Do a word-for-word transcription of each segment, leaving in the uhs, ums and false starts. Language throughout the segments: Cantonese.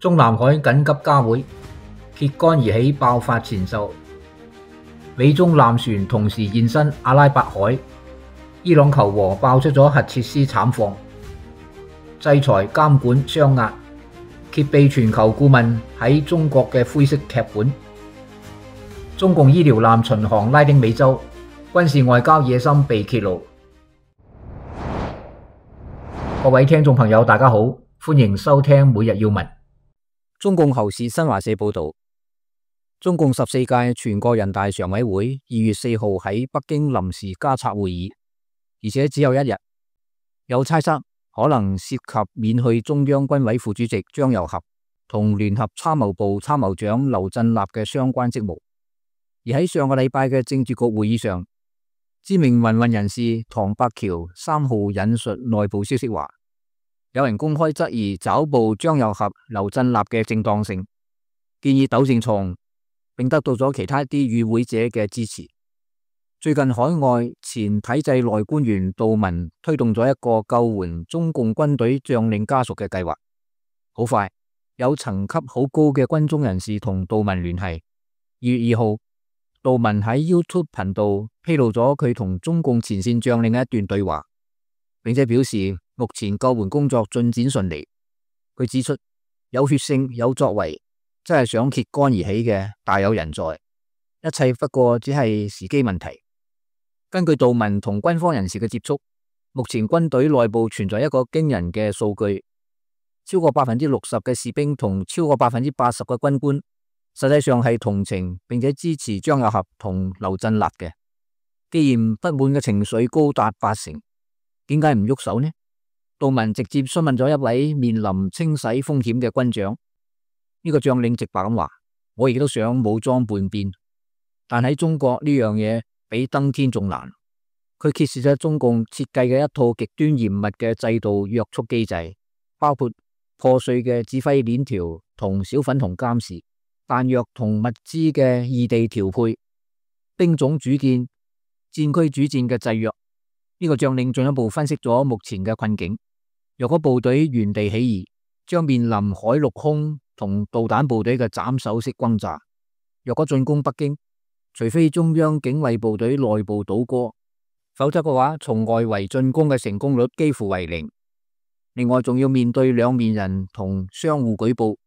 中南海緊急加會，揭竿而起爆發前奏。美中艦船同時現身阿拉伯海，伊朗求和爆出咗核設施慘況。制裁監管雙壓，揭秘全球顧問喺中國嘅灰色劇本。中共醫療艦巡航拉丁美洲，軍事外交野心被揭露。各位聽眾朋友，大家好，歡迎收聽每日要聞。中共侯氏新華社報道，中共十四屆全國人大常委會二月四號喺北京臨時加策會議，而且只有一日。有猜測可能涉及免去中央軍委副主席張又俠同聯合參謀部參謀長劉振立嘅相關職務。而喺上個禮拜嘅政治局會議上，知名民運人士唐伯橋三號引述內部消息話，有人公開質疑抓捕張又俠、劉振立嘅正當性，建議糾正錯誤，並得到咗其他一啲與會者嘅支持。最近海外前體制內官員杜文推動咗一個救援中共軍隊將領家屬嘅計劃，好快有層級好高嘅軍中人士同杜文聯繫。二月二號，杜文喺 YouTube 頻道披露咗佢同中共前線將領嘅一段對話，並且表示目前救援工作進展順利。佢指出，有血性有作為，真係想揭竿而起嘅大有人在，一切不過只係時機問題。根據杜文同軍方人士嘅接觸，目前軍隊內部存在一個驚人嘅數據，超過百分之六十嘅士兵同超過百分之八十嘅軍官，實際上係同情並且支持張又俠同劉振立嘅。既然不滿嘅情緒高達八成，點解唔喐手呢？杜文直接詢問咗一位面臨清洗風險嘅軍長，呢個將領直白咁話：我亦都想武裝叛變，但喺中國呢樣嘢比登天仲難。佢揭示咗中共設計嘅一套極端嚴密嘅制度約束機制，包括破碎嘅指揮鏈條同小粉紅監視、彈藥同物資嘅異地調配、兵種主見、戰區主戰嘅制約。呢個將領進一步分析咗目前嘅困境。若果部隊原地起義，將面臨海陸空同導彈部隊嘅斬首式轟炸。若果進攻北京，除非中央警衛部隊內部倒戈，否則嘅話，從外圍進攻嘅成功率幾乎為零。另外，仲要面對兩面人同相互舉報。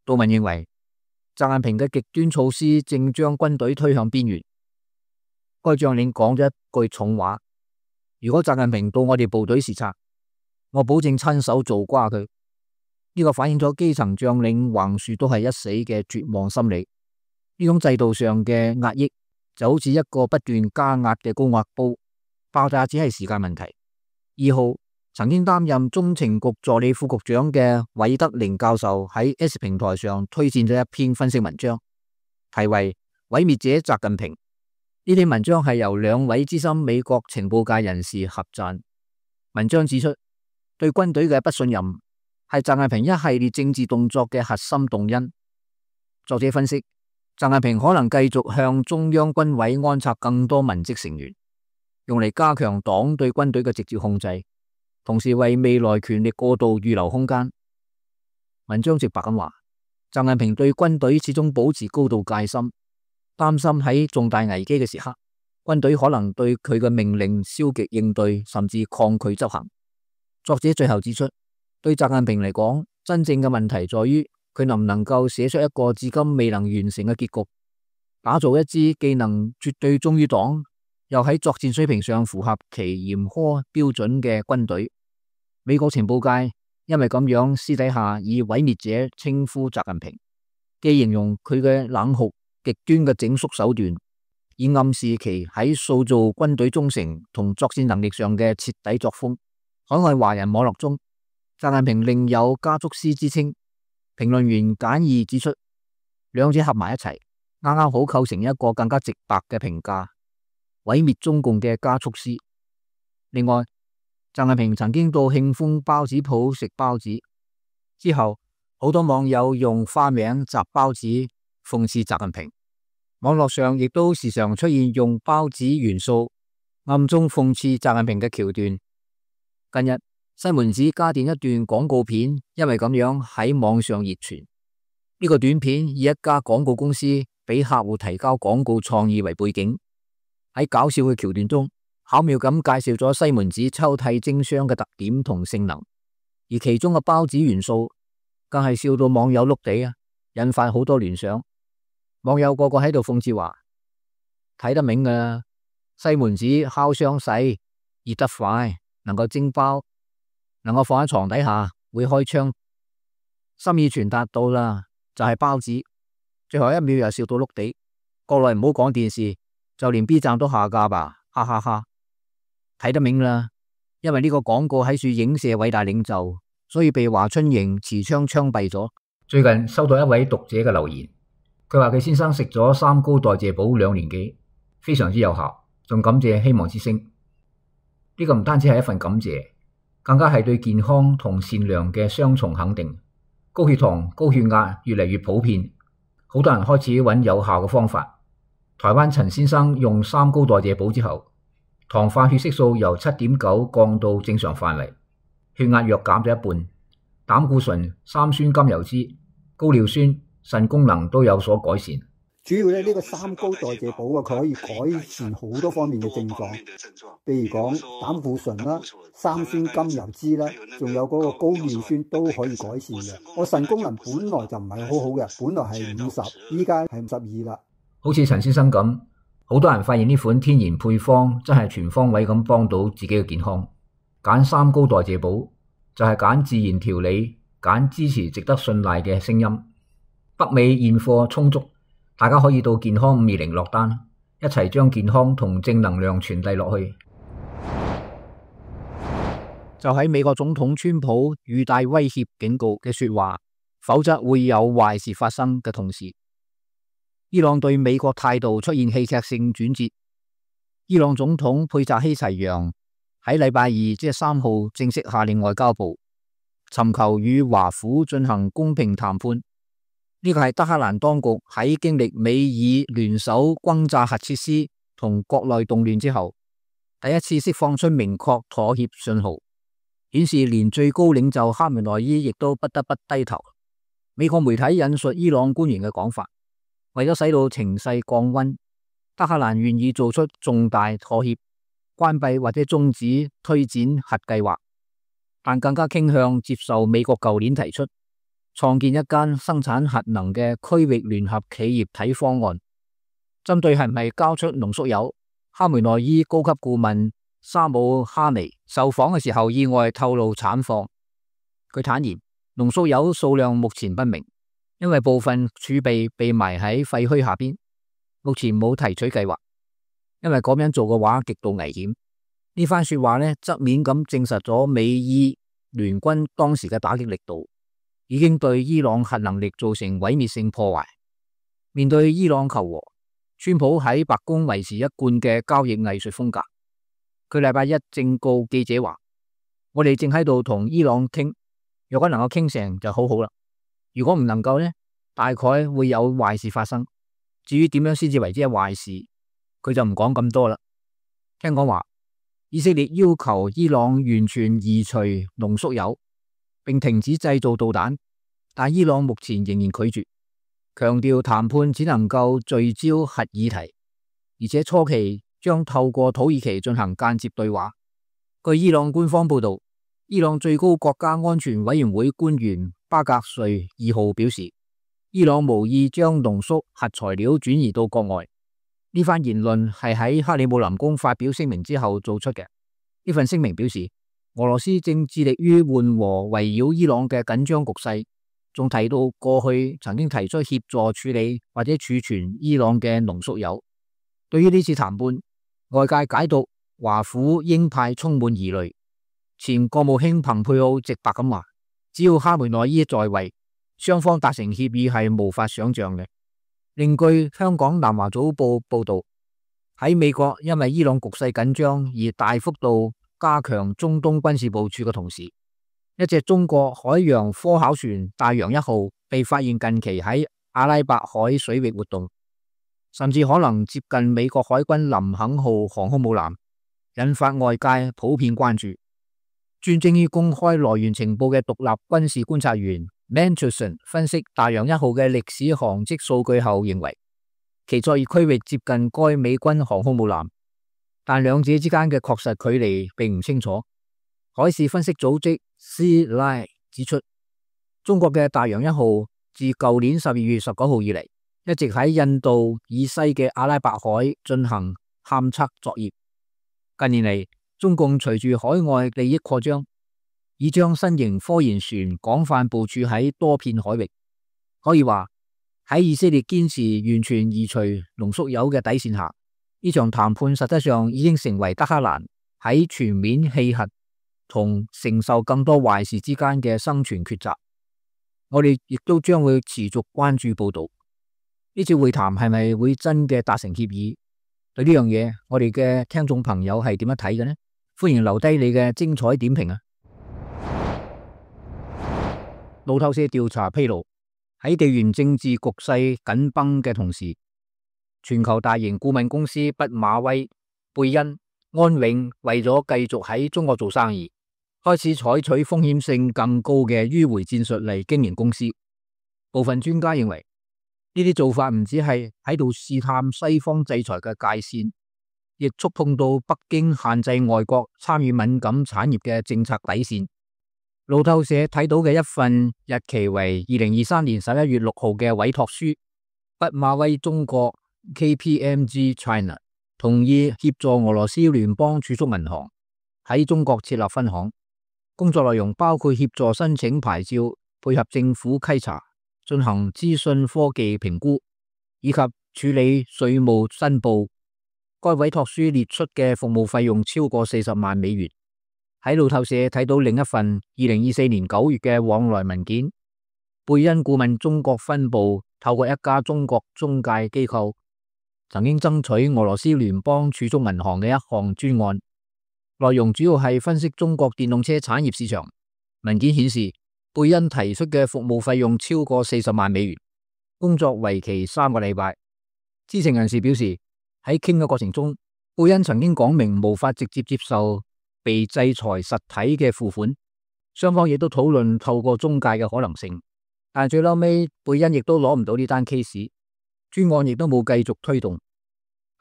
杜文認為，習近平嘅極端措施正將軍隊推向邊緣。該將領講咗一句重話：如果習近平到我哋部隊視察，我保證親手做瓜佢。呢個反映咗基層將領橫豎都係一死嘅絕望心理。呢種制度上嘅壓抑就好似一個不斷加壓嘅高壓煲，爆炸只係時間問題。二號，曾經擔任中情局助理副局長嘅韋德寧教授喺 S 平台上推薦咗一篇分析文章，題為《毀滅者習近平》。呢篇文章係由兩位資深美國情報界人士合撰。文章指出，對軍隊嘅不信任係習近平一系列政治動作嘅核心動因。作者分析，習近平可能繼續向中央軍委安插更多文職成員，用嚟加強黨對軍隊嘅直接控制，同時為未來權力過渡預留空間。文章直白咁話，習近平對軍隊始終保持高度戒心，擔心喺重大危機嘅時刻，軍隊可能對佢嘅命令消極應對，甚至抗拒執行。作者最後指出，對習近平嚟講，真正嘅問題在於佢能唔能夠寫出一個至今未能完成嘅結局，打造一支既能絕對忠於黨，又喺作戰水平上符合其嚴苛標準嘅軍隊。美國情報界因為咁樣私底下以毀滅者稱呼習近平，既形容佢嘅冷酷極端嘅整肅手段，以暗示其喺塑造軍隊忠誠同作戰能力上嘅徹底作風。海外華人網絡中，習近平另有加速師之稱。評論員簡易指出，兩者合埋一齊，啱啱好構成一個更加直白嘅評價：毀滅中共嘅加速師。另外，習近平曾經到慶豐包子鋪食包子，之後好多網友用花名習包子諷刺習近平。網絡上亦都時常出現用包子元素暗中諷刺習近平嘅橋段。近日，西門子加電一段廣告片，因為咁樣喺網上熱傳。呢個短片以一家廣告公司俾客戶提交廣告創意為背景，喺搞笑嘅橋段中，巧妙咁介紹咗西門子抽屜蒸箱嘅特點同性能，而其中嘅包子元素更係笑到網友碌地啊，引發好多聯想。網友個個喺度諷刺話：睇得明㗎，西門子烤箱細，熱得快，能夠蒸包，能夠放喺床底下，會開窗，心意傳達到啦，就係包子。最後一秒又笑到碌地。國內唔好講電視，就連 B 站都下架吧，哈哈哈！睇得明啦，因為呢個廣告喺處影射偉大領袖，所以被華春瑩持槍槍斃咗。最近收到一位讀者嘅留言，佢話佢先生食咗三高代謝寶兩年幾，非常之有效，仲感謝希望之聲。呢個唔單止係一份感謝，更加係對健康同善良嘅雙重肯定。高血糖、高血壓越嚟越普遍，好多人開始揾有效嘅方法。台灣陳先生用三高代謝寶之後，糖化血色素由七點九降到正常範圍，血壓藥減咗一半，膽固醇、三酸甘油酯、高尿酸、腎功能都有所改善。主要咧呢個三高代謝寶啊，佢可以改善好多方面嘅症狀，譬如講膽固醇啦、三酸甘油酯啦，仲有嗰個高尿酸都可以改善嘅。我腎功能本來就唔係好好嘅，本來係五十，依家係五十二啦。好似陳先生咁，好多人發現呢款天然配方真係全方位咁幫到自己嘅健康。揀三高代謝寶就係揀自然調理，揀支持值得信賴嘅聲音。北美現貨充足，大家可以到健康五二零落單，一齊將健康同正能量傳遞落去。就喺美國總統川普語帶威脅警告嘅說話，否則會有壞事發生嘅同時，伊朗對美國態度出現戲劇性轉折。伊朗總統佩扎希齊揚喺禮拜二即係三號正式下令外交部尋求與華府進行公平談判。呢個係德黑蘭當局喺經歷美以聯手轟炸核設施同國內動亂之後，第一次釋放出明確妥協信號，顯示連最高領袖哈梅內伊亦都不得不低頭。美國媒體引述伊朗官員嘅講法，為咗使到情勢降溫，德黑蘭願意做出重大妥協，關閉或者終止推展核計劃，但更加傾向接受美國舊年提出創建一間生產核能嘅區域聯合企業體方案。針對係唔係交出濃縮鈾，哈梅內伊高級顧問沙姆哈尼受訪嘅時候意外透露產況。佢坦言，濃縮鈾數量目前不明，因為部分儲備被埋喺廢墟下邊，目前冇提取計劃，因為咁樣做嘅話極度危險。呢番說話呢，側面咁證實咗美伊聯軍當時嘅打擊力度已經對伊朗核能力造成毀滅性破壞。面對伊朗求和，川普喺白宮維持一貫嘅交易藝術風格。佢禮拜一正告記者話：我哋正喺度同伊朗傾，如果能夠傾成就好好啦。如果唔能夠呢，大概會有壞事發生。至於點樣先至為之係壞事，佢就唔講咁多啦。聽講話，以色列要求伊朗完全移除濃縮鈾，並停止製造導彈，但伊朗目前仍然拒絕，強調談判只能夠聚焦核議題，而且初期將透過土耳其進行間接對話。據伊朗官方報道，伊朗最高國家安全委員會官員巴格瑞二號表示，伊朗無意將濃縮核材料轉移到國外。呢番言論係喺克里姆林宮發表聲明之後做出嘅。呢份聲明表示，俄羅斯正致力於緩和圍繞伊朗嘅緊張局勢，仲提到過去曾經提出協助處理或者儲存伊朗嘅濃縮鈾。對於呢次談判，外界解讀華府鷹派充滿疑慮。前國務卿蓬佩奧直白咁話，只要哈梅內伊在位，雙方達成協議係無法想象嘅。另據香港南華早報報道，喺美國因為伊朗局勢緊張而大幅度加強中東軍事部署嘅同時，一隻中國海洋科考船大洋一號被發現近期喺阿拉伯海水域活動，甚至可能接近美國海軍林肯號航空母艦，引發外界普遍關注。專精於公開來源情報嘅獨立軍事觀察員 Mantelson 分析大洋一號嘅歷史航跡數據後認為，其作業區域接近該美軍航空母艦，但兩者之間嘅確實距離並唔清楚。海事分析組織 Sea Line 指出，中國嘅大洋一號自舊年十二月十九號以嚟，一直喺印度以西嘅阿拉伯海進行勘測作業。近年嚟，中共隨住海外利益擴張，已將新型科研船廣泛部署喺多片海域。可以話喺以色列堅持完全移除濃縮鈾嘅底線下，呢場談判實質上已經成為德黑蘭喺全面棄核同承受更多壞事之間嘅生存抉擇。我哋亦都將會持續關注報道，呢次會談係咪會真嘅達成協議？對呢樣嘢，我哋嘅聽眾朋友係點樣睇嘅呢？歡迎留低你嘅精彩點評啊！路透社調查披露，喺地緣政治局勢緊繃嘅同時，全球大型顧問公司畢馬威、貝恩、安永為咗繼續喺中國做生意，開始採取風險性更高嘅迂迴戰術嚟經營公司。部分專家認為，呢啲做法唔只係喺度試探西方制裁嘅界線，亦觸碰到北京限制外國參與敏感產業嘅政策底線。路透社睇到嘅一份日期為二零二三年十一月六號嘅委託書，畢馬威中國 K P M G China 同意協助俄羅斯聯邦儲蓄銀行喺中國設立分行，工作內容包括協助申請牌照、配合政府稽查、進行資訊科技評估以及處理稅務申報。該委託書列出嘅服務費用超過四十萬美元。喺路透社睇到另一份二零二四年九月嘅往來文件，貝恩顧問中國分部透過一家中國中介機構，曾經爭取俄羅斯聯邦儲蓄銀行嘅一項專案，內容主要係分析中國電動車產業市場。文件顯示，貝恩提出嘅服務費用超過四十萬美元，工作為期三個禮拜。知情人士表示，喺傾嘅過程中，貝恩曾經講明無法直接接受被制裁實體嘅付款，雙方亦都討論透過中介嘅可能性，但最嬲尾貝恩亦都攞唔到呢單 case， 專案亦都冇繼續推動。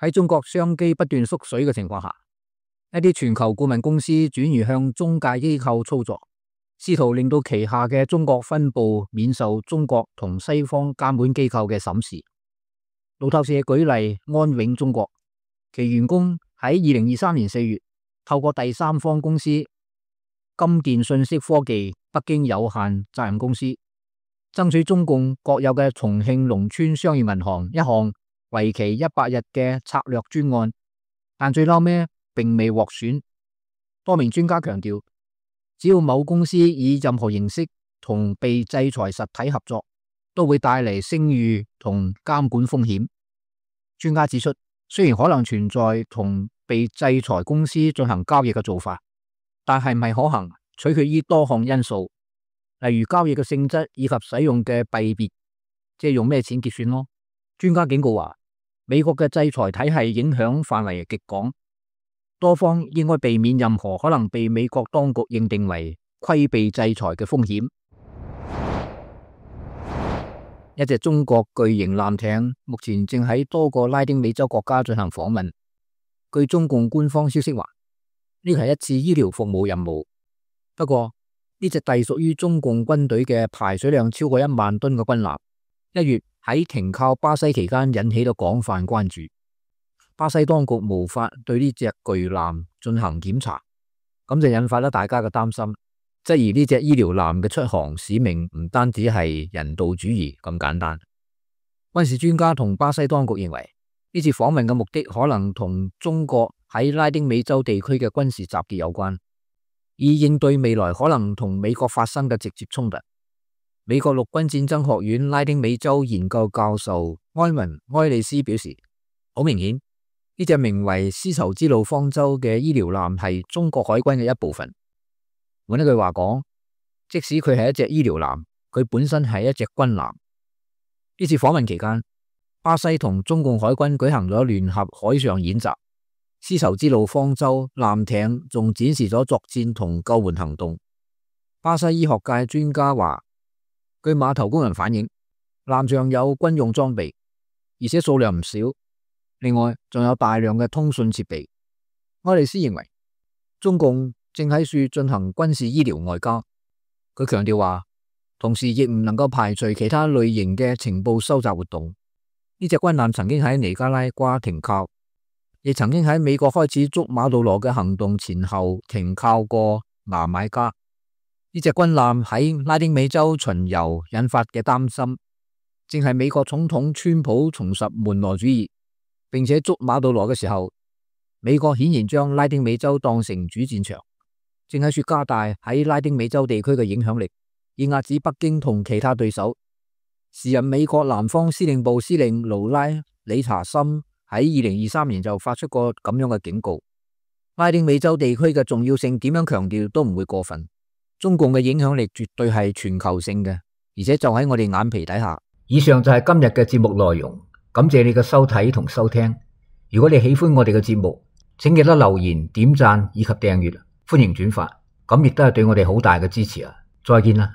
喺中國商機不斷縮水嘅情況下，一啲全球顧問公司轉移向中介機構操作，試圖令到旗下嘅中國分部免受中國同西方監管機構嘅審視。路透社舉例安永中國，其員工喺二零二三年四月透過第三方公司金電信息科技北京有限責任公司，爭取中共國有嘅重慶農村商業銀行一項為期一百日嘅策略專案，但最後咩並未獲選。多名專家強調，只要某公司以任何形式同被制裁實體合作，都會帶嚟聲譽同監管風險。專家指出，雖然可能存在同被制裁公司進行交易嘅做法，但係唔係可行，取決於多項因素，例如交易嘅性質以及使用嘅幣別，即係用咩錢結算咯。專家警告話，美國嘅制裁體系影響範圍極廣，多方應該避免任何可能被美國當局認定為規避制裁嘅風險。一隻中國巨型艦艇目前正喺多個拉丁美洲國家進行訪問。據中共官方消息話，呢個係一次醫療服務任務。不過呢隻隸屬於中共軍隊嘅排水量超過一萬噸嘅軍艦，一月喺停靠巴西期間引起咗廣泛關注。巴西當局無法對呢隻巨艦進行檢查，咁就引發咗大家嘅擔心，質疑呢隻醫療艦嘅出航使命唔單止係人道主義咁簡單。軍事專家同巴西當局認為，呢次訪問嘅目的可能同中國喺拉丁美洲地區嘅軍事集結有關，以應對未來可能同美國發生嘅直接衝突。美國陸軍戰爭學院拉丁美洲研究教授埃文埃利斯表示，好明顯呢隻名為絲綢之路方舟嘅醫療艦係中國海軍嘅一部分。換一句話講，即使佢係一隻醫療艦，佢本身係一隻軍艦。呢次訪問期間，巴西同中共海軍舉行咗聯合海上演習，絲綢之路方舟艦艇仲展示咗作戰同救援行動。巴西醫學界專家話，據碼頭工人反映，艦上有軍用裝備，而且數量唔少。另外仲有大量嘅通訊設備。愛麗絲認為，中共正喺處進行軍事醫療外交。佢強調話，同時亦唔能夠排除其他類型嘅情報收集活動。呢隻軍艦曾經喺尼加拉瓜停靠，亦曾經喺美國開始捉馬杜羅嘅行動前後停靠過牙買加。呢隻軍艦喺拉丁美洲巡遊引發嘅擔心，正係美國總統川普重拾門羅主義並且捉馬杜羅嘅時候，美國顯然將拉丁美洲當成主戰場，正喺處加大喺拉丁美洲地區嘅影響力，以壓止北京同其他對手。時任美國南方司令部司令勞拉理查森喺二零二三年就發出過咁樣嘅警告，拉丁美洲地區嘅重要性點樣強調都唔會過分。中共嘅影響力絕對係全球性嘅，而且就喺我哋眼皮底下。以上就係今日嘅節目內容，感謝你嘅收睇同收聽。如果你喜歡我哋嘅節目，請記得留言、點讚以及訂閱，歡迎轉發，咁亦都係對我哋好大嘅支持啊！再見啦。